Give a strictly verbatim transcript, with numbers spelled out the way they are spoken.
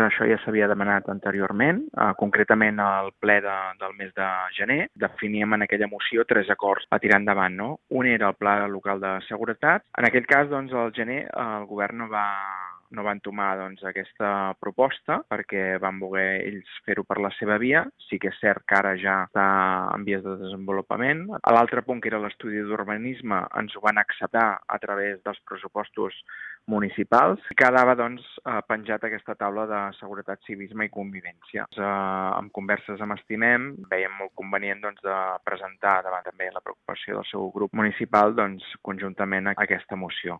això ja s'havia demanat anteriorment, eh, concretament al ple de, del mes de gener. Definíem en aquella moció tres acords a tirar endavant, no? Un era el Pla Local de Seguretat. En aquell cas, doncs, al gener eh, el govern no va no van tomar doncs, aquesta proposta perquè van voler ells fer-ho per la seva via. Sí que és cert que ara ja està en vies de desenvolupament. A l'altre punt, que era l'estudi d'urbanisme, ens ho van acceptar a través dels pressupostos municipals. Quedava doncs, penjat aquesta taula de seguretat, civisme i convivència. Eh, amb converses amb Estimem, veiem molt convenient doncs, de presentar davant també la preocupació del seu grup municipal doncs, conjuntament a aquesta moció.